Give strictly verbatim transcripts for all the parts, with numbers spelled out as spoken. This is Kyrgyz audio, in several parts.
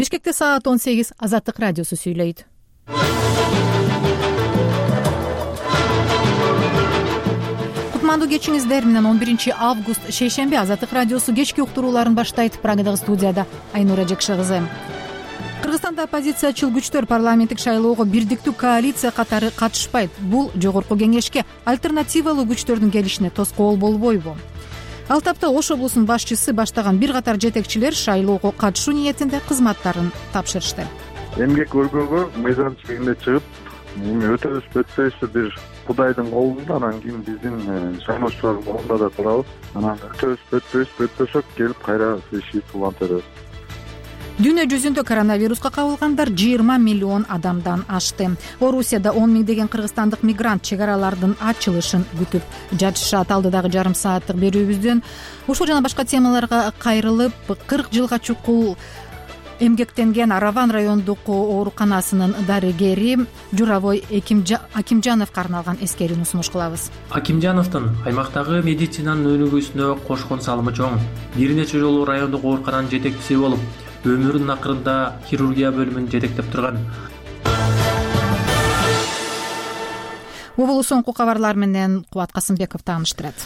Бишкекте саат он сегиз. Азаттык радиосу сүйлөйт. Кутмандуу кечиңиздер менен он биринчи август шейшемби Азаттык радиосу кечки уктурууларын баштайт. Прагадагы студияда Айнура Жекши кызы. Кыргызстанда оппозициячыл күчтөр парламенттик шайлоого бирдиктүү коалиция катары катышпайт. Бул жогорку кеңешке альтернативалуу күчтөрдүн келишине тоскоол болбойбу? Ал тапта Ош облусунун башчысы баштаган бир катар жетекчилер шайлоого катышуу ниетинде кызматтарын тапшырышты. Эмгек өргөнгө мыйзамчылыгында чыгып, эми өтөбүз өтпөйсү бир Кудайдын колунда, анан кийин биздин шайлоочулардын колунда да турабыз. Анан өтөбүз өтпөйбүз, өтпөсөк келип кайра шишип улантабыз. Дүйнө жүзүндө коронавируска кабылгандар жыйырма миллион адамдан ашты. Орусияда он миңдеген кыргызстандык мигрант чек аралардын ачылышын күтүп жатышат. Алдыдагы жарым сааттык берүүбүздөн ушул жана башка темаларга кайрылып, кырк жылга чукул эмгектенген Араван райондук ооруканасынын дарыгери Журавой Акимжановго арналган эскерүүнү сунуш кылабыз. Акимжановдун аймактагы медицинанын өнүгүүсүнө кошкон салымы чоң. Бир нече жолу райондук оорукананын жетекчиси болуп, өмүрүнүн акырында хирургия бөлүмүн жетектеп турган. Убулу соңку кабарлар менен Кубат Касымбеков тааныштырат.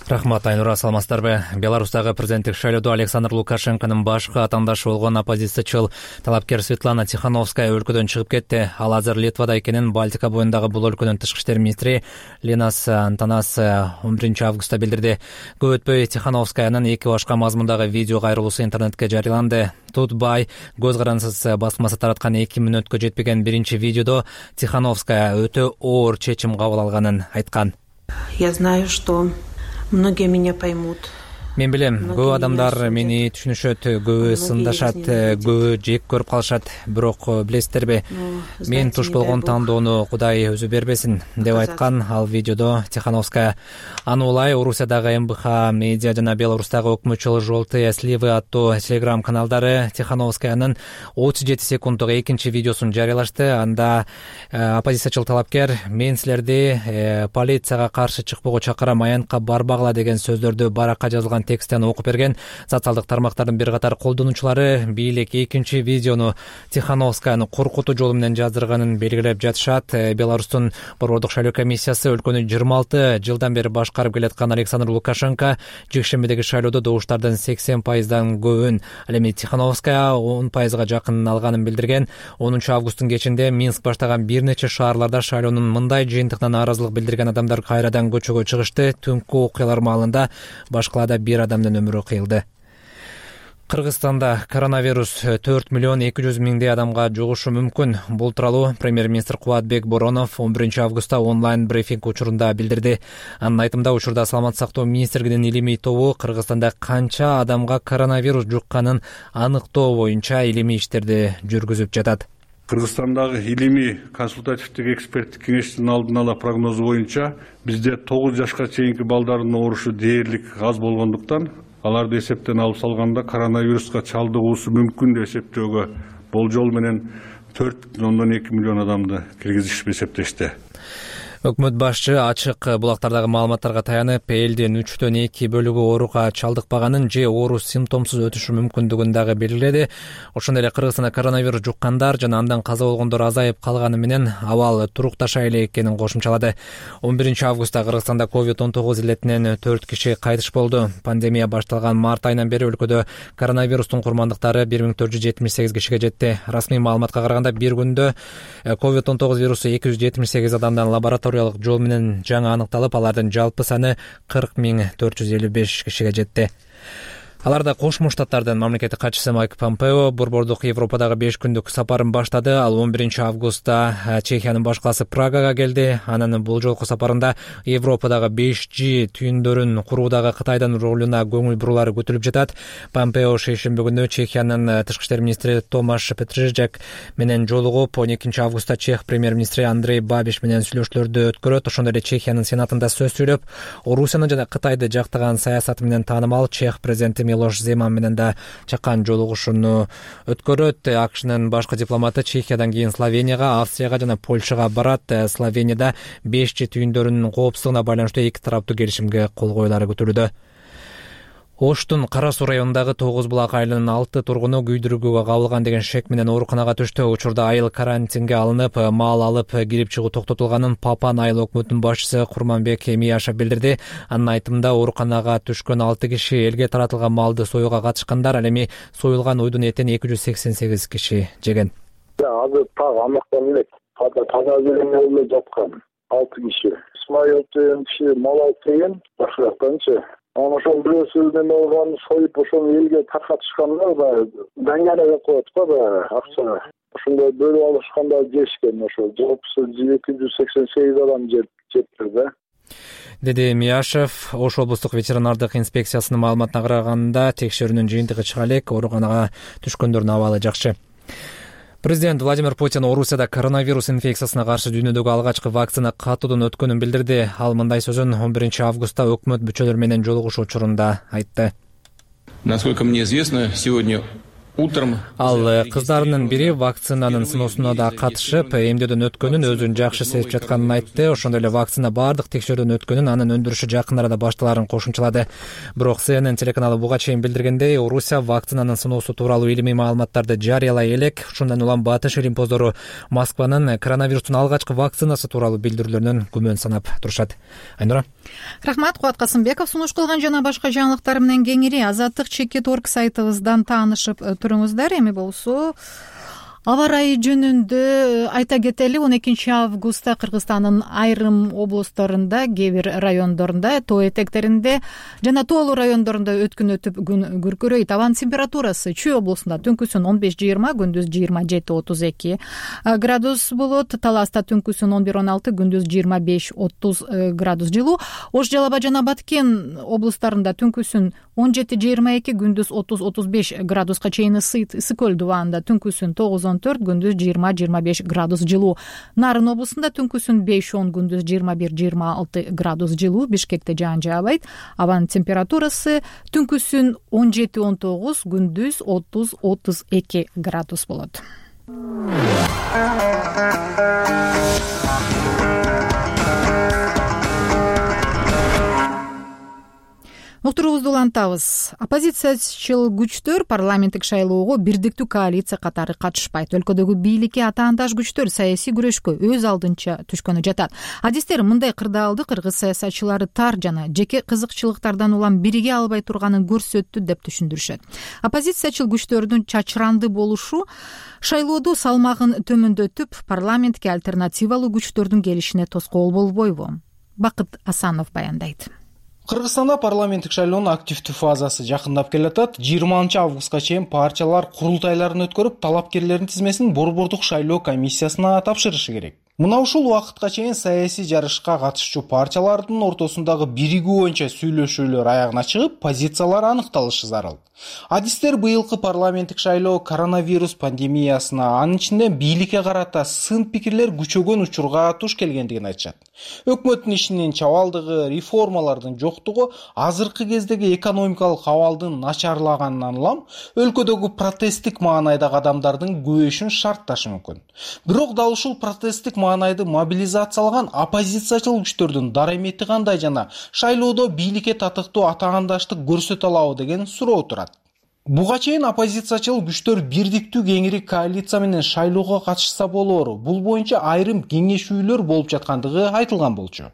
Рахмат, Айнура, саламатсыздарбы? Беларустагы президенттик шайлоодо Александр Лукашенконун башкы атаандашы болгон оппозициячыл талапкер Светлана Тихановская өлкөдөн чыгып кетти. Ал азыр Литвада экенин Балтика боюндагы бул өлкөнүн тышкы иштер министри Линас Антанас он биринчи августта билдирди. Көп өтпөй Тихановскаянын эки башка мазмундагы видео кайрылуусу интернетке жарыяланды. Тутбай көз карансыз басмасы тараткан эки мүнөткө жетпеген биринчи видеодо Тихановская өтө оор чечим кабыл алганын айткан. Я знаю, что многие меня поймут. Мен билем, көп адамдар мени түшүнүшөт, көбү сындашат, көбү жек көрүп калышат. Бирок билесиздерби, мен туш болгон тандоону Кудай өзү бербесин деп айткан ал видеодо Тихановская. Аны улай Орусиядагы эм бэ ха медиа жана Беларустагы өкмөтчүл «Желтые сливы» аттуу телеграм каналдары Тихановскаянын отуз жети секунддук экинчи видеосун жарыялашты. Анда оппозициячыл талапкер мен силерди полицияга каршы чыкпоого чакырам, аянтка барбагыла деген сөздөрдү баракка жазылган тексттен окуп берген. Социалдык тармактардын бир катар колдонуучулары бийлик экинчи видеону Тихановскаяны коркутуу жолу менен жаздырганын белгилеп жатышат. Беларустун борбордук шайлоо комиссиясы өлкөнү жыйырма алты жылдан бери башкарып келаткан Александр Лукашенко жекшембидеги шайлоодо добуштардын сексен пайыздан көбүн, ал эми Тихановская он пайызга жакын алганын билдирген. онунчу августтун кечинде Минск баштаган бир нече шаарларда шайлоонун мындай жыйынтыгына нааразылык билдирген адамдар кайрадан көчөгө чыгышты. Түнкү окуялар маалында башкалада бир адамдын өмүрү кыйылды. Кыргызстанда коронавирус төрт миллион эки жүз миңдей адамга жугушу мүмкүн. Бул тууралуу премьер-министр Кубатбек Боронов он биринчи августта онлайн брифинг учурунда билдирди. Анын айтымында, учурда саламаттык сактоо министрлигинин илимий тобу Кыргызстанда канча адамга коронавирус жукканын аныктоо боюнча илимий иштерди жүргүзүп жатат. Кыргызстандагы илимий консультативдик эксперттик кеңештин алдын ала прогнозу боюнча бизде тогуз жашка чейинки балдардын оорушу дээрлик аз болгондуктан аларды эсептен алып салганда коронавируска чалдыгуусу мүмкүн деп эсептөөгө болжол менен төрт бүтүн ондон эки миллион адамды киргизишип эсептешти. Өкмөт башчы ачык булактардагы маалыматтарга таянып, элдин үчтөн эки бөлүгү ооруга чалдыкпаганын же оору симптомсуз өтүшү мүмкүндүгүн дагы белгиледи. Ошондой эле Кыргызстанда коронавирус жуккандар жана андан каза болгондор азайып калганы менен абал турукташа эле экенин кошумчалады. он биринчи августта Кыргызстанда ковид он тогуз илетинен төрт киши кайтыш болду. Пандемия башталган март айынан бери өлкөдө коронавирустун курмандыктары бир миң төрт жүз жетимиш сегиз кишиге жетти. Расмий маалыматка караганда бир күндө ковид он тогуз вирусу эки жүз жетимиш сегиз адамдан лаборатория жол менен жаңы аныкталып, алардын жалпы саны кырк миң төрт жүз элүү беш кишиге жетти. Аларда Кошмо Штаттардын мамлекеттик катчысы Майк Помпео борбордук Европадагы беш күндүк сапарын баштады. Ал он биринчи августта Чехиянын баш калаасы Прагага келди. Анын бул жолку сапарында Европадагы беш жи түйүндөрүн куруудагы Кытайдын ролуна көңүл бурулары күтүлүп жатат. Помпео шейшемби күнү Чехиянын тышкы иштер министри Томаш Петрижек менен жолугуп, он экинчи августта Чех премьер-министри Андрей Бабиш менен сүйлөшүүлөрдү өткөрөт. Ошондой эле Чехиянын сенатында сөз сүйлөп, Орусияны жана Кытайды жактаган саясаты менен таанымал Чех президенти Милош Земан менен да чакан жолугушууну өткөрөт. АКШнын башкы дипломаты Чехиядан кийин Словенияга, Австрияга жана Польшага барат. Словенияда беш жи түйүндөрүнүн коопсуздугуна байланыштуу эки тараптуу келишимге кол коюлары күтүлүүдө. Оштун Кара Суу районундагы Тогуз Булак айылынын алты тургуну күйдүрүүгө кабылган деген шек менен ооруканага түштү. Учурда айыл карантинге алынып, мал алып кирип чыгуу токтотулганын Папан айыл өкмөтүнүн башчысы Курманбек Мияшев билдирди. Анын айтымында ооруканага түшкөн алты киши элге таратылган малды союуга катышкандар, ал эми союлган уйдун этин эки жүз сексен сегиз киши жеген. Азыр так амактан элек таза белеме эле жаткан алты киши. Исмаил деген киши мал алып келген, башкачы. Анан ошол бирөөсү неме болгон союп ошону элге таркатышкандар, баягы даңгана деп коет го, баягы акча. Ошондой бөлүп алышканда жешкен, ошо жалпысы эки жүз сексен сегиз адам жептир да. Деди Мияшев. Ош облустук ветеринардык инспекциясынын маалыматына караганда текшерүүнүн жыйынтыгы чыга элек, ооруканага түшкөндөрдүн абалы жакшы. Президент Владимир Путин Орусияда коронавирус инфекциясына каршы дүйнөдөгү алгачкы вакцина катуудан өткөнүн билдирди. Ал мындай сөзүн он биринчи августта өкмөт мүчөлөрү менен жолугушуу учурунда айтты. Насколько мне известно, сегодня утром Ал кыздарынын бири вакцинанын сыноосуна да катышып, эмдөөдөн өткөнүн, өзүн жакшы сезип жатканын айтты. Ошондой эле вакцина баардык текшерүүдөн өткөнүн, анын өндүрүшү жакын арада башталарын кошумчалады. Бирок Си Эн Эн телеканалы буга чейин билдиргендей, Орусия вакцинанын сыноосу тууралуу илимий маалыматтарды жарыялай элек. Ушундан улам Батыш илимпоздору Москванын коронавирустун алгачкы вакцинасы тууралуу билдирүүлөрүнөн күмөн санап турушат. Айнура. Рахмат, Кубат Касымбеков. Сунуш кылган жана башка жаңылыктар менен кеңири азаттык чекит орг сайтыбыздан таанышып туруңуздар. Эми болсо аба ырайы жөнүндө айта кетели. он экинчи августта Кыргызстандын айрым областарында, кээ бир райондорунда, тоо этектеринде жана тоолуу райондорунда өткүн өтүп күн күркүрөйт. Абанын температурасы Чүй облусунда түнкүсүн он беш жыйырма, күндүз жыйырма жети отуз эки градус болот. Таласта түнкүсүн он бир он алты, күндүз жыйырма беш отуз градус жылуу. Ош, Жалал Абад жана Баткен облустарында түнкүсүн он жети жыйырма эки, күндүз отуз отуз беш градуска чейин ысыйт. Ысык көл дубаанда түнкүсүн тогуз он төрт, күндүз жыйырма жыйырма беш градус жылуу. Нарын облусунда түнкүсүн беш он, күндүз жыйырма бир жыйырма алты градус жылуу. Бишкекте жаан жаабайт. Абанын температурасы түнкүсүн он жети он тогуз, күндүз отуз отуз эки градус болот. Уктуруубузду улантабыз. Оппозициячыл күчтөр парламенттик шайлоого бирдиктүү коалиция катары катышпайт. Өлкөдөгү бийликке атаандаш күчтөр саясий күрөшкө өз алдынча түшкөнү жатат. Адистер мындай кырдаалды кыргыз саясатчылары тар жана жеке кызыкчылыктардан улам бириге албай турганын көрсөттү деп түшүндүрүшөт. Оппозициячыл күчтөрдүн чачыранды болушу шайлоодо салмагын төмөндөтүп, парламентке альтернативалуу күчтөрдүн келишине тоскоол болбойбу? Бакыт Асанов баяндайт. Кыргызстанда парламенттик шайлоонун активдүү фазасы жакындап келатат. жыйырманчы августка чейин партиялар курултайларын өткөрүп, талапкерлердин тизмесин борбордук шайлоо комиссиясына тапшырышы керек. Мына ушул убакытка чейин саясий жарышка катышчу партиялардын ортосундагы биригүү боюнча сүйлөшүүлөр аягына чыгып, позициялар аныкталышы зарыл. Адистер быйылкы парламенттик шайлоо коронавирус пандемиясына, анын ичинде бийликке карата сын пикирлер күчөгөн учурга туш келгендигин айтышат. Өкмөттүн ишинин чабалдыгы, реформалардын жоктугу, азыркы кездеги экономикалык абалдын начарлаганынан улам өлкөдөгү протесттик маанайдагы адамдардын көбөйүшүн шартташы мүмкүн. Бирок дал ушул протесттик маанайды мобилизациялган оппозициячыл күчтөрдүн дарамети кандай жана шайлоодо бийликке татыктуу атаандаштык көрсөтө алабы деген суроо турат. Буга чейин оппозициячыл күчтөр бирдиктүү кеңири коалиция менен шайлоого катышса болору, бул боюнча айрым кеңешүүлөр болуп жаткандыгы айтылган болчу.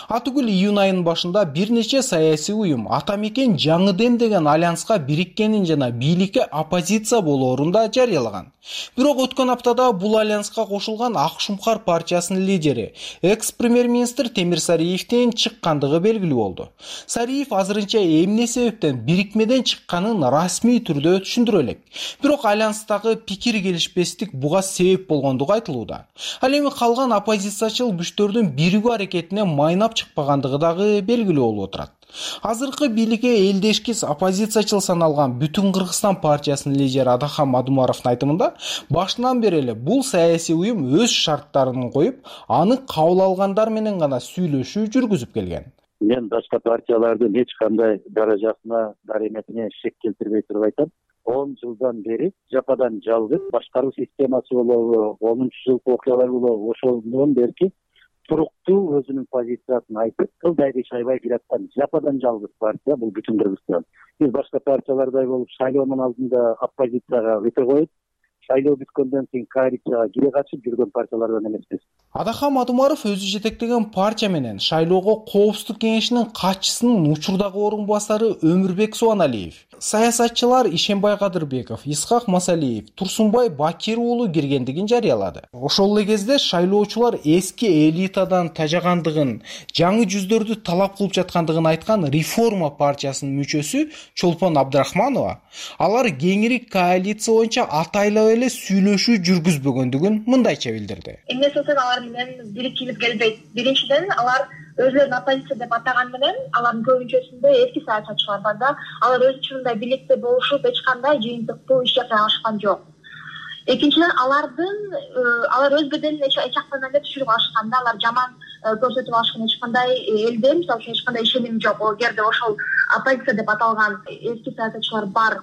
Атүгүл июнь айынын башында бир нече саясий уюм Ата Мекен Жаңы Дем деген альянска бириккенин жана бийликке оппозиция болоорун да жарыялаган. Бирок өткөн аптада бул альянска кошулган Ак Шумкар партиясынын лидери, экс-премьер-министр Темир Сариевдин чыккандыгы белгилүү болду. Сариев азырынча эмне себептен бирикмеден чыкканын расмий түрдө түшүндүрө элек. Бирок альянстагы пикир келишпестик буга себеп болгондугу айтылууда. Ал эми калган оппозициячыл күчтөрдүн биригүү аракетине майнап чыкпагандыгы дагы белгилүү болуп отурат. Азыркы бийликке элдешкис оппозициячыл саналган Бүтүн Кыргызстан партиясынын лидери Адахан Мадумаровдун айтымында, башынан бери эле бул саясий уюм өз шарттарын коюп, аны кабыл алгандар менен гана сүйлөшүү жүргүзүп келген. Мен башка партиялардын эч кандай даражасына, дараметине шек келтирбей туруп айтам. он жылдан бери жападан жалгыз башкаруу системасы болобу, онунчу жылкы окуялар болобу, ошондон берки туруктуу өзүнүн позициясын айтып кылдай шайбай келаткан жападан жалгыз партия бул бүтүн Кыргызстан. Биз башка партиялардай болуп шайлоонун алдында оппозицияга өтө коюп, шайлоо бүткөндөн кийин коалицияга кире качып жүргөн партиялардан эмеспиз. Адахам Адумаров өзү жетектеген партия менен шайлоого Коопсуздук кеңешинин катчысынын учурдагы орун басары Өмүрбек Субаналиев, саясатчылар Ишенбай Кадырбеков, Исхак Масалиев, Турсунбай Бакир уулу киргендигин жарыялады. Ошол эле кезде шайлоочулар эски элитадан тажагандыгын, жаңы жүздөрдү талап кылып жаткандыгын айткан Реформа партиясынын мүчөсү Чолпон Абдрахманова, алар кеңири коалиция боюнча атайлап эле сүйлөшүү жүргүзбөгөндүгүн мындайча билдирди. Эмне болсо алар менен бириккибиз келбейт. Биринчиден, алар өзүлөрүн оппозиция деп атаган менен алардын көбүнчөсүндө эски саясатчылар бар да, алар өз ичинде бийликте болушуп эч кандай жыйынтыктуу иш жасай алышкан жок. Экинчиден, алардын алар өз беделин эч жактан эле түшүрүп алышкан да, алар жаман көрсөтүп алышкан, эч кандай элде мисалы үчүн эч кандай ишеним жок. Эгерде ошол оппозиция деп аталган эски саясатчылар бар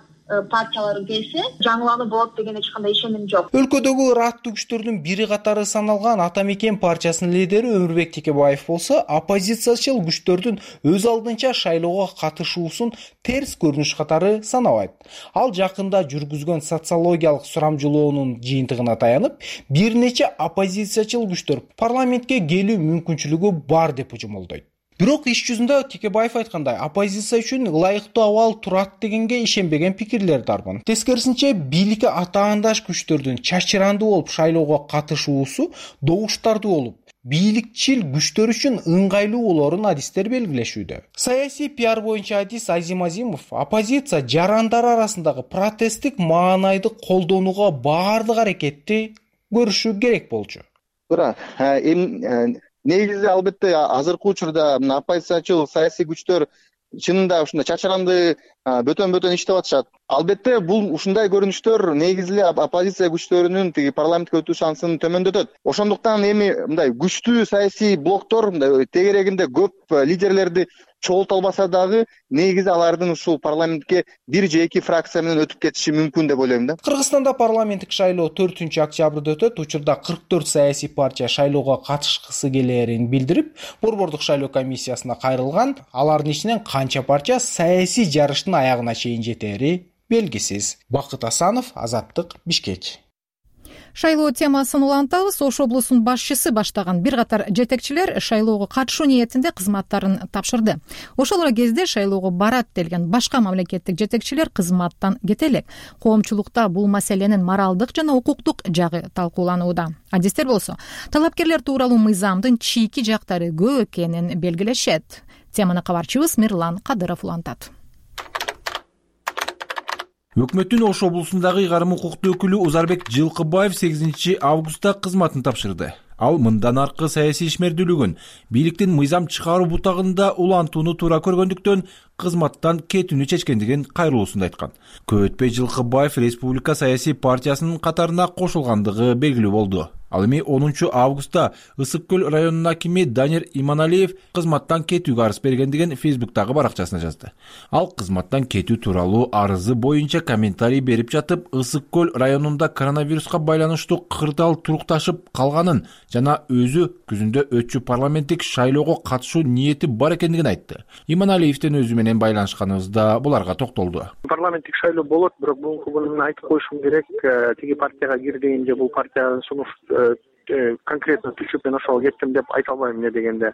партиялар келсе, жаңылануу болот деген эч кандай ишеним жок. Өлкөдөгү ыраттуу күчтөрдүн бири катары саналган Ата Мекен партиясынын лидери Өмүрбек Текебаев болсо, оппозициячыл күчтөрдүн өз алдынча шайлоого катышуусун терс көрүнүш катары санабайт. Ал жакында жүргүзгөн социологиялык сурамжылоонун жыйынтыгына таянып, бир нече оппозициячыл күчтөр парламентке келүү мүмкүнчүлүгү бар деп жумолдойт. Бирок иш жүзүндө Текебаев айткандай, оппозиция үчүн ылайыктуу абал турат дегенге ишенбеген пикирлер дарбын. Тескерисинче, бийликке атаандаш күчтөрдүн чачырандуу болуп шайлоого катышуусу добуштардуу болуп, бийликчил күчтөр үчүн ыңгайлуу болорун адистер белгилешүүдө. Саясий пиар боюнча адис Азим Азимов оппозиция жарандары арасындагы протесттик маанайды колдонууга баардык аракетти көрүшү керек болчу. Туура, эми негизи албетте азыркы учурда мына оппозициячыл саясий күчтөр чынында ушундай чачаранды бөтөн-бөтөн иштеп атышат. Албетте бул ушундай көрүнүштөр негизи эле оппозиция күчтөрүнүн тиги парламентке өтүү шансын төмөндөтөт. Ошондуктан эми мындай күчтүү саясий блоктор мындай тегерегинде көп лидерлерди чогулта албаса дагы, негизи алардын ушул парламентке бир же эки фракция менен өтүп кетиши мүмкүн деп ойлойм да. Кыргызстанда парламенттик шайлоо төртүнчү октябрда өтөт. Учурда кырк төрт саясий партия шайлоого катышкысы келээрин билдирип, Борбордук шайлоо комиссиясына кайрылган. Алардын ичинен канча партия саясий жарыштын аягына чейин жетери белгисиз. Бакыт Асанов, Азаттык, Бишкек. Шайлоо темасын улантабыз. Ош облусунун башчысы баштаган бир катар жетекчилер шайлоого катышуу ниетинде кызматтарын тапшырды. Ошол эле кезде шайлоого барат делген башка мамлекеттик жетекчилер кызматтан кете элек. Коомчулукта бул маселенин моралдык жана укуктук жагы талкууланууда. Адистер болсо, талапкерлер тууралуу мыйзамдын чийки жактары көп экенин белгилешет. Теманы кабарчыбыз Мирлан Кадыров улантат. Өкмөттүн Ош облусундагы ыйгарым укуктуу өкүлү Узарбек Жылкыбаев сегизинчи августта кызматын тапшырды. Ал мындан аркы саясий ишмердүүлүгүн, бийликтин мыйзам чыгаруу бутагында улантууну туура көргөндүктөн кызматтан кетүүнү чечкендигин кайрылуусунда айткан. Көп өтпөй Жылкыбаев Республика саясий партиясынын катарына кошулгандыгы белгилүү болду. Ал эми онунчу августта Ысык көл районунун акими Данир Иманалиев кызматтан кетүүгө арыз бергендигин Фейсбуктагы баракчасына жазды. Ал кызматтан кетүү тууралуу арызы боюнча комментарий берип жатып, Ысык көл районунда коронавируска байланыштуу кырдаал турукташып калганын жана өзү күзүндө өтчү парламенттик шайлоого катышуу ниети бар экендигин айтты. Иманалиевдин өзү менен байланышканыбызда буларга токтолду. Парламенттик шайлоо болот, бирок бугунку күнү айтып коюшум керек, тиги партияга кирдим же бул партиянын сунуш конкретно түшүп мен ошого кеттим деп айта албайм. Эмне дегенде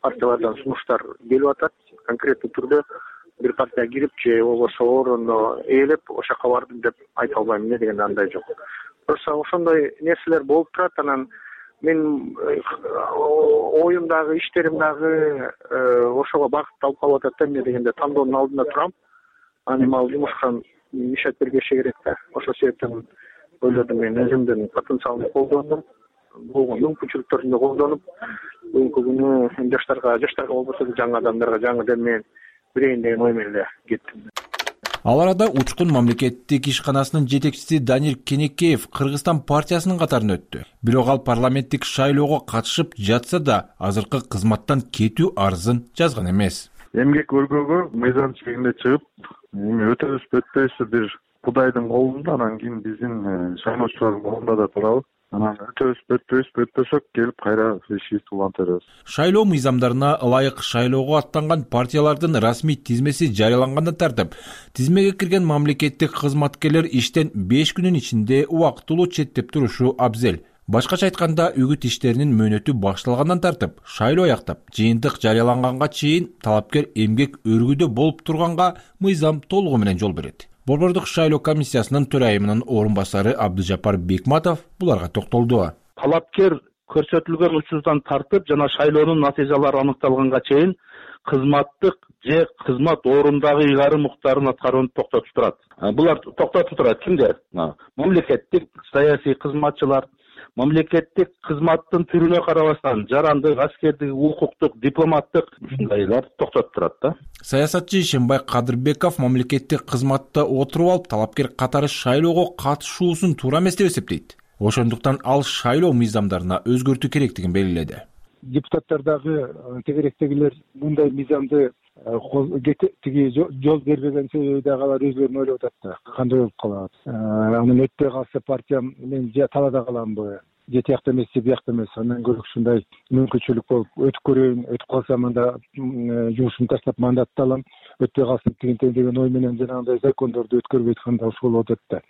партиялардан сунуштар келип атат, конкреттүү түрдө бир партияга кирип же болбосо орунду ээлеп ошол жака бардым деп айта албайм. Эмне дегенде андай жок. Просто ошондой нерселер болуп турат. Анан мен оюм дагы, иштерим дагы ошого багытталып калып атат да. Эмне дегенде тандоонун алдында турам. Анан эми ал жумушка мишат бергенше керек да. Ошол себептен ойлодум, мен өзүмдүн потенциалымды колдондум, болгон мүмкүнчүлүктөрүмдү колдонуп, бүгүнкү күнү жаштарга, жаштарга болбосо да жаңы адамдарга жаңы дем менен берейин деген ой менен эле кеттим. Ал арада Учкун мамлекеттик ишканасынын жетекчиси Данир Кенекеев Кыргызстан партиясынын катарына өттү. Бирок ал парламенттик шайлоого катышып жатса да, азыркы кызматтан кетүү арызын жазган эмес. Эмгек өргөгө мыйзам чегинде чыгып, эми өтөбүз өтпөйбүз бир Кудайдын колунда, анан кийин биздин шайлоочулардын колунда да турабы. анан өтөбүз, өтпөйбүз, өтпөсөк келип кайра решить улантырабыз. Шайлоо мыйзамдарына ылайык шайлоого аттанган партиялардын расмий тизмеси жарыялангандан тартып, тизмеге кирген мамлекеттик кызматкерлер иштен беш күнүн ичинде убактылуу четтеп турушу абзел. Башкача айтканда, үгүт иштеринин мөөнөтү башталгандан тартып, шайлоо аяктап, жыйынтык жарыяланганга чейин талапкер эмгек өргүдө болуп турганга мыйзам толугу менен жол берет. Борбордук шайлоо комиссиясынын төрайымынын орун басары Абдыжапар Бекматов буларга токтолду. Талапкер көрсөтүлгөн учурдан тартып жана шайлоонун натыйжалары аныкталганга чейин кызматтык же кызмат ордундагы ыйгарым укуктарын аткарууну токтотуп турат. Булар токтотуп турат кимдер? Мамлекеттик саясий кызматчылар, мамлекеттик кызматтын түрүнө карабастан жарандык, аскердик, укуктук, дипломаттык ушундайлар токтотуп турат да. Саясатчы Ишенбай Кадырбеков мамлекеттик кызматта отуруп алып, талапкер катары шайлоого катышуусун туура эмес деп эсептейт. Ошондуктан ал шайлоо мыйзамдарына өзгөртүү керектигин белгиледи. Депутаттар дагы тегеректегилер мындай мыйзамды тиги жол бербеген себеби дагы алар өзүлөрүн ойлоп атат да. Кандай болуп калат? Анан өтпөй калса партиям мен же талаада каламбы? Же тиякта эмес, же биякта эмес. Андан көрө ушундай мүмкүнчүлүк болуп өтүп көрөйүн, өтүп калсам анда жумушумду таштап мандатты алам. Өтпөй калсын тигинтен деген ой менен жанагындай закондорду өткөрбөй атканда ушул болуп атат да.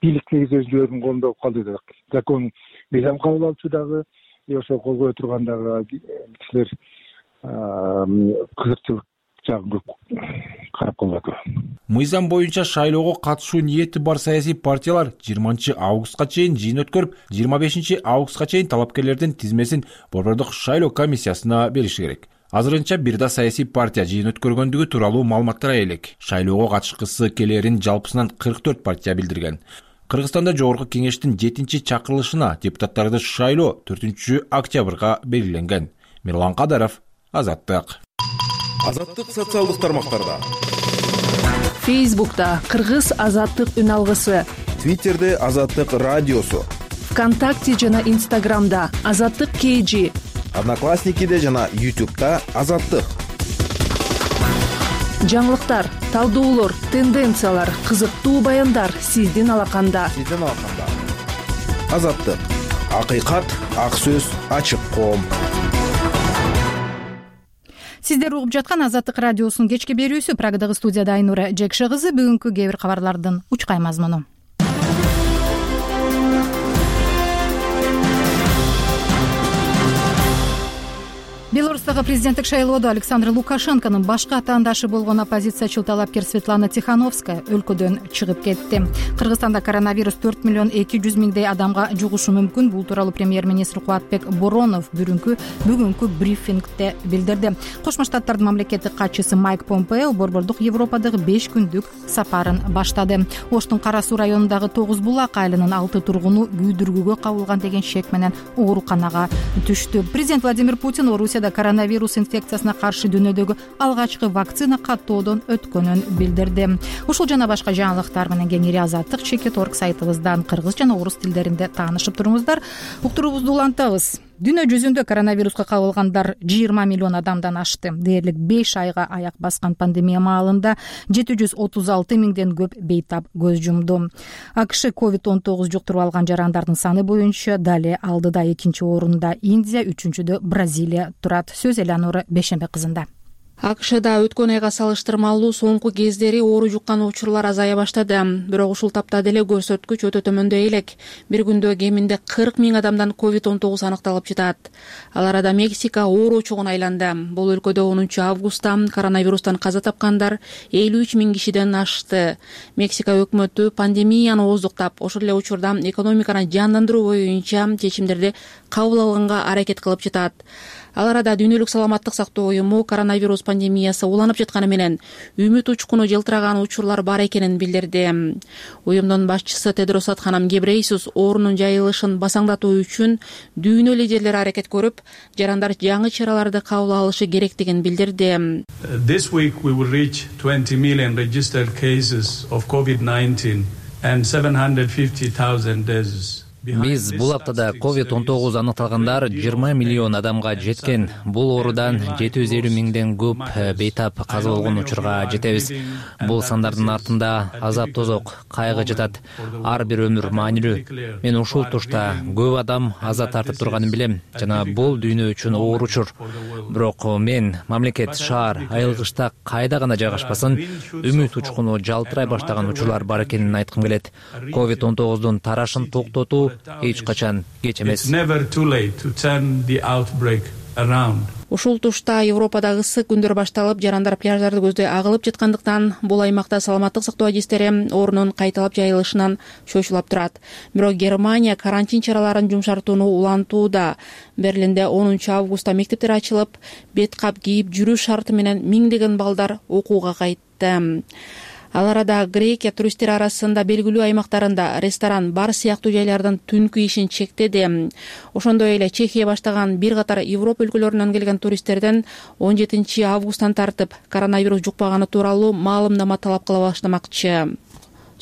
Бийлик негизи өзүлөрүнүн колунда болуп калды да. Закон мыйзам кабыл алуучу дагы, ошо колгой тургандагы кишилер кызыкчылык жагын карап калат. Мыйзам боюнча шайлоого катышуу ниети бар саясий партиялар жыйырманчы августка чейин жыйын өткөрүп, жыйырма бешинчи августка чейин талапкерлердин тизмесин Борбордук шайлоо комиссиясына бериши керек. Азырынча бир да саясий партия жыйын өткөргөндүгү тууралуу маалыматтар элек. Шайлоого катышкысы келерин жалпысынан кырк төрт партия билдирген. Кыргызстанда Жогорку кеңештин жетинчи чакырылышына депутаттарды шайлоо төртүнчү октябрга белгиленген. Мирлан Кадаров, Азаттык. Азаттык социалдык тармактарда. Фейсбукта Кыргыз Азаттык үн алгысы. Твиттерде Азаттык радиосу. ВКонтакте жана Инстаграмда Азаттык кей джи. Одноклассникиде жана Ютубта Азаттык. Жаңылыктар, талдоолор, тенденциялар, кызыктуу баяндар сиздин алаканда. Сиздин алаканда. Азаттык. Акыйкат, ак сөз, ачык коом. Сиздер угуп жаткан Азаттык радиосунун кечки берүүсү. Прагадагы студияда Айнура Жекше кызы. Бүгүнкү кээ бир кабарлардын учкай мазмуну. Беларустагы президенттик шайлоодо Александр Лукашенконун башка атаандашы болгон оппозициячыл талапкер Светлана Тихановская өлкөдөн чыгып кетти. Кыргызстанда коронавирус төрт миллион эки жүз миңдей адамга жугушу мүмкүн. Бул тууралуу премьер-министр Кубатбек Боронов бүгүнкү бүгүнкү брифингде билдирди. Кошмо Штаттардын мамлекеттик катчысы Майк Помпео борбордук Европадагы беш күндүк сапарын баштады. Оштун Кара Суу районундагы Тогуз Булак айылынын алты тургуну күйдүргүгө кабылган деген шек менен ооруканага түштү. Президент Владимир Путин Орусияда коронавирус инфекциясына каршы дүйнөдөгү алгачкы вакцина каттоодон өткөнүн билдирди. Ушул жана башка жаңылыктар менен кеңири Азаттык чекит орг сайтыбыздан кыргыз жана орус тилдеринде таанышып туруңуздар. Уктуруубузду улантабыз. Дүйнө жүзүндө коронавируска кабылгандар жыйырма миллион адамдан ашты. Дээрлик беш айга аяк баскан пандемия маалында жети жүз отуз алты миңден көп бейтап көз жумду. АКШ ковид он тогуз жуктуруп алган жарандардын саны боюнча дале алдыда, экинчи орунда Индия, үчүнчүдө Бразилия турат. Сөз Элеонора Бешембек кызында. АКШда өткөн айга салыштырмалуу соңку кездери оору жуккан учурлар азая баштады. Бирок ушул тапта деле көрсөткүч өтө төмөндөй элек. Бир күндө кеминде кырк миң адамдан ковид он тогуз аныкталып жатат. Ал арада Мексика ооручугун айланды. Бул өлкөдө онунчу августта коронавирустан каза тапкандар элүү үч миң кишиден ашты. Мексика өкмөтү пандемияны ооздуктап, ошол эле учурда экономиканы жандандыруу боюнча чечимдерди кабыл алганга аракет кылып жатат. Ал арада Дүйнөлүк саламаттык сактоо уюму коронавирус пандемиясы уланып жатканы менен үмүт учкуну жылтыраган учурлар бар экенин билдирди. Уюмдун башчысы Тедрос Адханам Гебрейсус оорунун жайылышын басаңдатуу үчүн дүйнө лидерлери аракет көрүп, жарандар жаңы чараларды кабыл алышы керектигин билдирди. This week we will reach twenty million registered cases of COVID nineteen and seven hundred fifty thousand deaths. Биз бул аптада ковид он тогуз аныкталгандар жыйырма миллион адамга жеткен. Бул оорудан жети жүз элүү миңден көп бейтап каза болгон учурга жетебиз. Бул сандардын артында азап тозок, кайгы жатат. Ар бир өмүр маанилүү. Мен ушул тушта көп адам аза тартып турганын билем жана бул дүйнө үчүн оор учур. Бирок мен мамлекет, шаар, айылгычта кайда гана жайгашпасын, үмүт учкуну жалтырай баштаган учурлар бар экенин айткым келет. ковид он тогуздун тарашын токтотуу эч качан кеч эмес. Ушул тушта Европада ысык күндөр башталып, жарандар пляждарды көздөй агылып жаткандыктан бул аймакта саламаттык сактоо адистери оорунун кайталап жайылышынан чочулап турат. Бирок Германия карантин чараларын жумшартууну улантууда. Берлинде онунчу августта мектептер ачылып, бет кап кийип жүрүү шарты менен миңдеген балдар окууга кайтты. Ал арада Грекия туристтер арасында белгилүү аймактарында ресторан, бар сыяктуу жайлардын түнкү ишин чектеди. Ошондой эле Чехия баштаган бир катар Европа өлкөлөрүнөн келген туристтерден он жетинчи августтан тартып коронавирус жукпаганы тууралуу маалымдама талап кыла баштамакчы.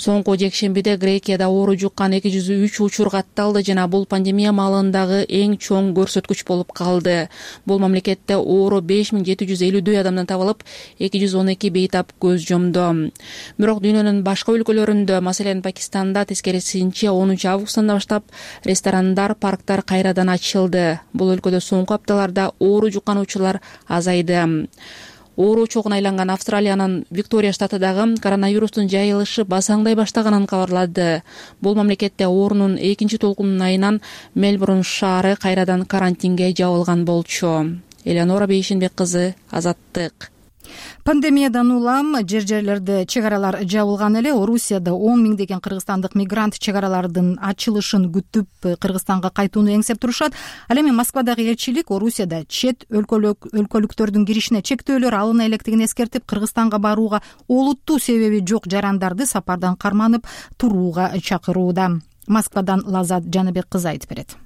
Соңку жекшембиде Грекияда оору жуккан эки жүз үч учур катталды жана бул пандемия маалындагы эң чоң көрсөткүч болуп калды. Бул мамлекетте оору беш миң жети жүз элүүдөй адамдан табылып, эки жүз он эки бейтап көз жомду. Бирок дүйнөнүн башка өлкөлөрүндө, маселен Пакистанда тескерисинче онунчу августтан баштап ресторандар, парктар кайрадан ачылды. Бул өлкөдө соңку апталарда оору жуккан учурлар азайды. Оору чогуна айланган Австралиянын Виктория штатыдагы коронавирустун жайылышы басаңдай баштаганын кабарлады. Бул мамлекетте оорунун экинчи толкунунун айынан Мельбурн шаары кайрадан карантинге жабылган болчу. Элеонора Бейшенбек кызы, Азаттык. Пандемиядан улам жер жерлерде чек аралар жабылган эле. Орусияда он миңдеген кыргызстандык мигрант чек аралардын ачылышын күтүп Кыргызстанга кайтууну эңсеп турушат. Ал эми Москвадагы элчилик Орусияда чет өлкөлүктөрдүн киришине чектөөлөр алына электигин эскертип, Кыргызстанга барууга олуттуу себеби жок жарандарды сапардан карманып турууга чакырууда. Москвадан Лазат Жаныбек кызы айтып берет.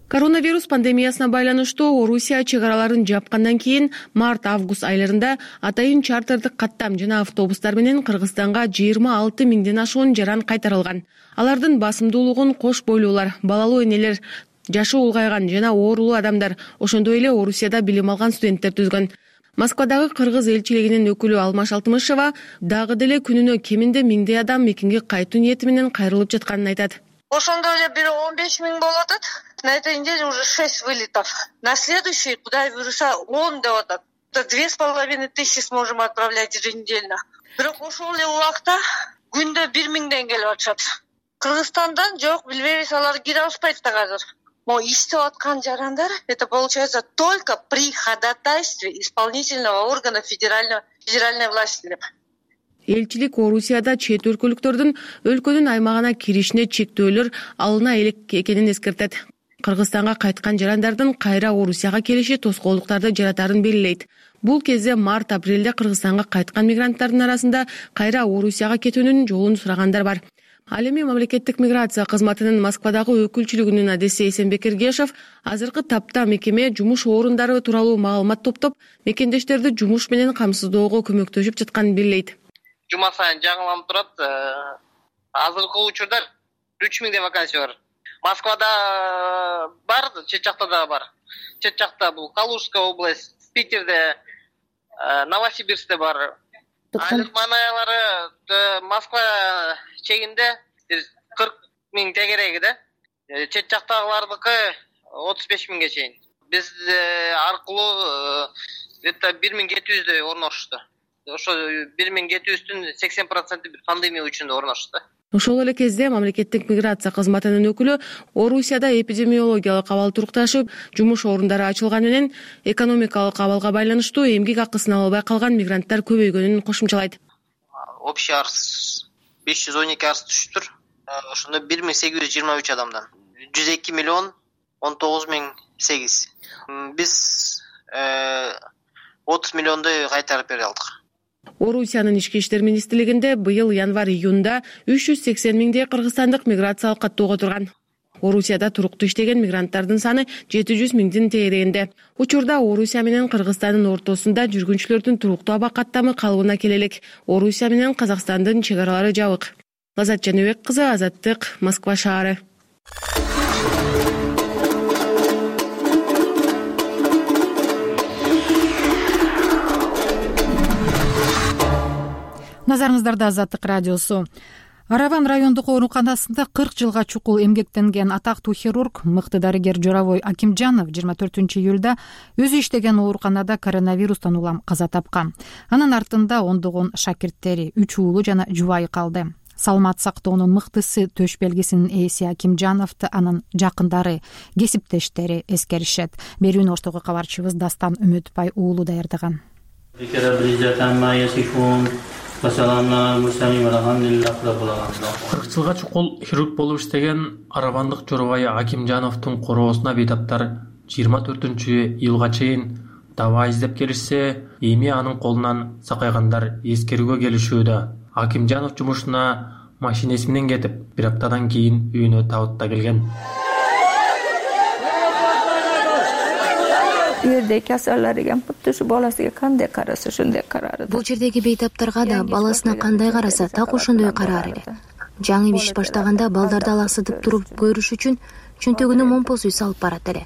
Коронавирус пандемиясына байланыштуу Орусия чек араларын жапкандан кийин март-август айларында атайын чартердик каттам жана автобустар менен Кыргызстанга жыйырма алты миңден ашуун жаран кайтарылган. Алардын басымдуулугун кош бойлуулар, балалуу энелер, жашы улгайган жана оорулуу адамдар, ошондой эле Орусияда билим алган студенттер түзгөн. Москвадагы кыргыз элчилигинин өкүлү Алмаш Алтымышева дагы деле күнүнө кеминде миңдей адам мекенге кайтуу ниети менен кайрылып жатканын айтат. Ошондой эле бир он беш миң болуп атат. На этой неделе уже шесть вылетов. На следующий, куда вируса он деп атат. Две с половиной тысячи сможем отправлять еженедельно. Бирок ошол эле убакта күндө бир миңден келип атышат. Кыргызстандан жок, билбейбиз, алар кире алышпайт да азыр. Но иштеп аткан жарандар, это получается только при ходатайстве исполнительного органа федерального федеральной власти деп. Элчилик Орусияда чет өлкөлүктөрдүн өлкөнүн аймагына киришине чектөөлөр алына элек экенин эскертет. Кыргызстанга кайткан жарандардын кайра Орусияга келиши тоскоолдуктарды жаратарын белгилейт. Бул кезде март-апрелде Кыргызстанга кайткан мигранттардын арасында кайра Орусияга кетүүнүн жолун сурагандар бар. Ал эми мамлекеттик миграция кызматынын Москвадагы өкүлчүлүгүнүн адеси Эсенбек Эргешев азыркы тапта мекеме жумуш орундары тууралуу маалымат топтоп, мекендештерди жумуш менен камсыздоого көмөктөшүп жатканын белгилейт. Жума сайын жаңыланып турат. Азыркы учурда үч миңдей вакансия бар. Москвада бар, чет жакта да бар. Чет жакта бул Калужская область, Питерде, Новосибирскте бар. Айлык манаялары Москва чегинде кырк миң тегереги да. Чет жактагылардыкы отуз беш миңге чейин. Биз аркылуу где-то бир миң жети жүздөй орношушту. Ошо бир миң жети жүздүн сексен проценти бир пандемия үчүн орношты. Ошол эле кезде мамлекеттик миграция кызматынын өкүлү Орусияда эпидемиологиялык абал турукташып, жумуш орундары ачылган менен экономикалык абалга байланыштуу эмгек акысын ала албай калган мигранттар көбөйгөнүн кошумчалайт. Общий арыз беш жүз он эки арыз түшүптүр. Ошондо бир миң сегиз жүз жыйырма үч адамдан жүз эки миллион он тогуз миң сегиз. Биз отуз миллиондой кайтарып бере алдык. Орусиянын ички иштер министрлигинде быйыл январь-июнда үч жүз сексен миңдей кыргызстандык миграциялык каттоого турган. Орусияда туруктуу иштеген мигранттардын саны жети жүз миңдин тегерегинде. Учурда Орусия менен Кыргызстандын ортосунда жүргүнчүлөрдүн туруктуу аба каттамы калыбына келе элек. Орусия менен Казакстандын чек аралары жабык. Лазат Жаныбек кызы, Азаттык, Москва шаары. назарыңыздарда Азаттык радиосу. Араван райондук ооруканасында кырк жылга чукул эмгектенген атактуу хирург, мыкты дарыгер Жоробой Акимжанов жыйырма төртүнчү июлда өзү иштеген ооруканада коронавирустан улам каза тапкан. Анын артында ондогон шакирттери, үч уулу жана жубайы калды. Саламат сактоонун мыктысы төш белгисинин ээси Акимжановду анын жакындары, кесиптештери эскеришет. Берүүнү оштогу кабарчыбыз Дастан Үмүтбай уулу даярдаган. кырк жылга чукул хирург болуп иштеген аравандык Жоробой Акимжановдун короосуна бейтаптар жыйырма төртүнчү июлга чейин таба издеп келишсе, эми анын колунан сакайгандар эскерүүгө келишүүдө. Акимжанов жумушуна машинеси менен кетип, бир аптадан кийин үйүнө табытта келген. Жерде касалар экен, бутты ушу баласына кандай караса ошондой карады. Бул жердеги бейтаптарга да баласына кандай караса, так ошондой караар эле. Жаңы иш баштаганда балдарды алаксытып туруп көрүш үчүн чөнтөгүнө момпосуй салып барат эле.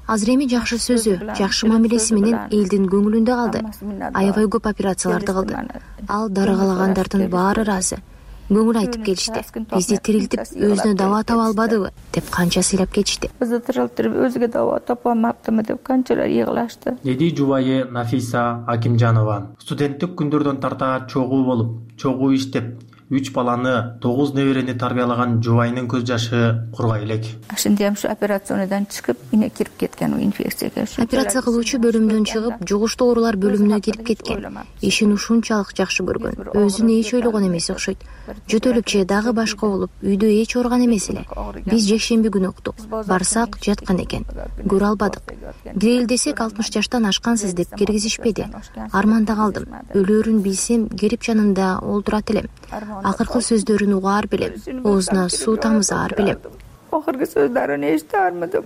Азыр эми жакшы сөзү, жакшы мамилеси менен элдин көңүлүндө калды. Аябай көп операцияларды кылды. Ал дарыгалагандардын баары ыраазы. Көңүл айтып келишти. Бизди тирилтип, өзүнө дава таба албадыбы деп канча сыйлап кетишти. Бизди тирилтип, өзүгө дава тапамаптымы деп канчалар йыгылашты. Деди жубайы Нафиса Акимжанова. Студенттик күндөрдөн тарта чогуу болуп, чогуу иштеп, үч баланы, тогуз неберени тарбиялаган жубайынын көз жашы кургай элек. Ошондо ham shu операциондан чыгып, ине кирип кеткен, инфекцияга. Операция кылуучу бөлүмдөн чыгып, жугуштуу оорулар бөлүмүнө кирип кеткен. Ишин ушунчалык жакшы көргөн. Өзүн эч ойлогон эмес окшойт. Жөтөлүп же дагы башка болуп, үйдө эч ооруган эмес эле. Биз жекшемби күнү уктук. Барсак жаткан экен. Көрө албадык. Кирели десек алтымыш жаштан ашкансыз деп киргизишпеди. Арманда калдым. Өлөөрүн билсем, келип жанында олтурат элем. Акыркы сөздөрүн угаар белем. Оозуна суу тамызаар белем. Акыркы сөздөрүн эчтээр мыдым.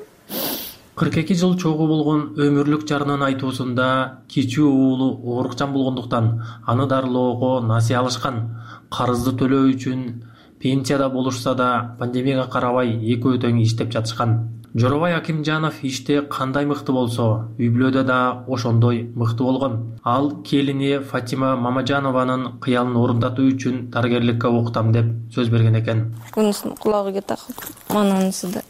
кырк эки жыл чогуу болгон өмүрлүк жарынын айтуусунда кичүү уулу оорукчан болгондуктан аны дарылоого насыя алышкан. Карызды төлөө үчүн пенсияда болушса да пандемияга карабай экөө тең иштеп жатышкан. Жоробой Акимжанов иште кандай мыкты болсо, үй бүлөдө да ошондой мыкты болгон. Ал келини Фатима Мамажанованын кыялын орундатуу үчүн дарыгерликке окутам деп сөз берген экен. Мунусун кулагыга такып, мананысы да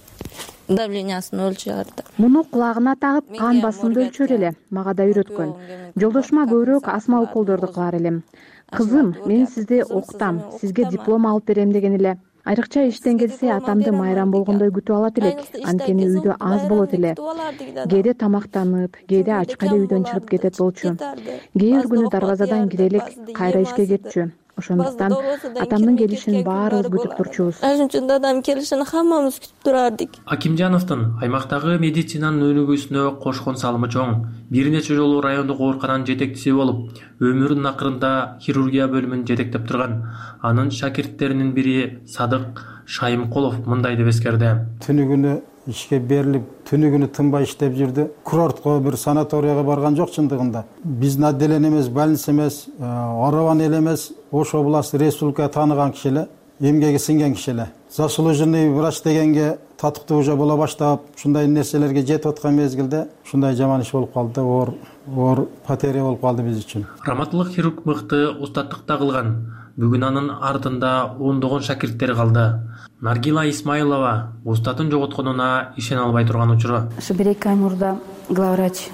давлениясын өлчөрдү. Муну кулагына тагып, кан басымды өлчөр эле. Мага да үйрөткөн. Жолдошума көбүрөөк астма уколдорду кылар элем. Кызым, мен сизди окутам, сизге диплом алып берем деген эле. Айрыкча иштен келсе атамды майрам болгондой күтүп алат элек. Анткени үйдө аз болот эле. Кээде тамактанып, кээде ачка эле үйдөн чыгып кетет болчу. Кээ бир күнү дарбазадан кире элек, кайра ишке кетчү. Ошондуктан атамдын келишин баарыбыз күтүп турчубуз. Ошондо адам келишин хаммамыз күтүп турардык. Акимжановдун аймактагы медицинанын өнүгүүсүнө кошкон салымы чоң. Бир нече жолу райондук оорукананын жетекчиси болуп, өмүрүнүн акырында хирургия бөлүмүн жетектеп турган. Анын шакирттеринин бири Садык Шайымкулов мындай деп эскерди. Түнү күнү ишке берилип, түнү күнү тынбай иштеп жүрдү. Курортко, бир санаторияга барган жок чындыгында. Биздин отделен эмес, больница эмес, Араван эл эмес, Ош областы республика тааныган киши эле, эмгеги сиңген киши эле. Заслуженный врач дегенге татыктуу уже боло баштап, ушундай нерселерге жетип аткан мезгилде ушундай жаман иш болуп калды, оор оор потеря болуп калды биз үчүн. Раматылык хирург мыкты устаттыкта кылган. Бүгүн анын артында ондогон шакирттери калды. Наргила Исмаилова устатын жоготконуна ишене албай турган учуру. Ушу бир эки ай мурда главврач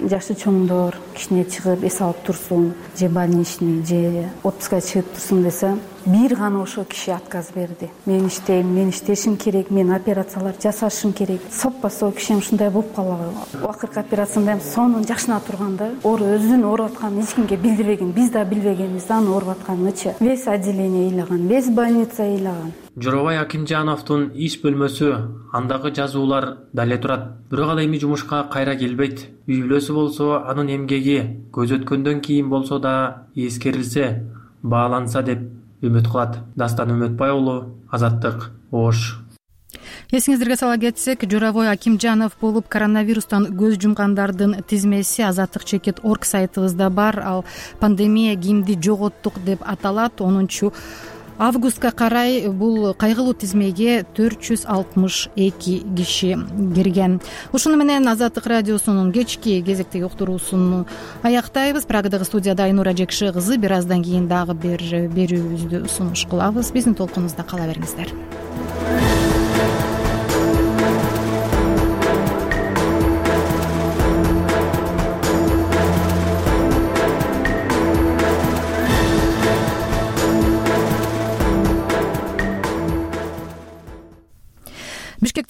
жашы чоңдор кичине чыгып эс алып турсун, же больничный, же отпускка чыгып турсун десе, бир гана ошол киши отказ берди. Мен иштейм, мен иштешим керек, мен операциялар жасашым керек. Соппа-со киши ушундай болуп калабы. Акыркы операцияда ham сонун жакшына турганда, оор өзүнүн ооруп атканын эч кимге билдирбеген, биз да билбегенбиз, анын ооруп атканынчы. Весь отделение ыйлаган, весь больница ыйлаган. Жоробой Акимжановдун иш бөлмөсү, андагы жазуулар дале турат. Бирок ал эми жумушка кайра келбейт. Үй бүлөсү болсо анын эмгеги көз өткөндөн кийин болсо да эскерилсе, бааланса деп үмүт кылат. Дастан Үмүтбай уулу, Азаттык, Ош. Эсиңиздерге сала кетсек, Жоробой Акимжанов болуп коронавирустан көз жумгандардын тизмеси азаттык чекит орг сайтыбызда бар. Ал пандемия кимди жоготтук деп аталат. онунчу августка карай бул кайгылуу тизмеге төрт жүз алтымыш эки киши кирген. Ушуну менен Азаттык радиосунун кечки кезектеги уктуруусун аяктайбыз. Прагадагы студияда Айнура Жекши кызы. Бир аздан кийин дагы бир берүүбүздү сунуш кылабыз. Биздин толкунубузда кала бериңиздер.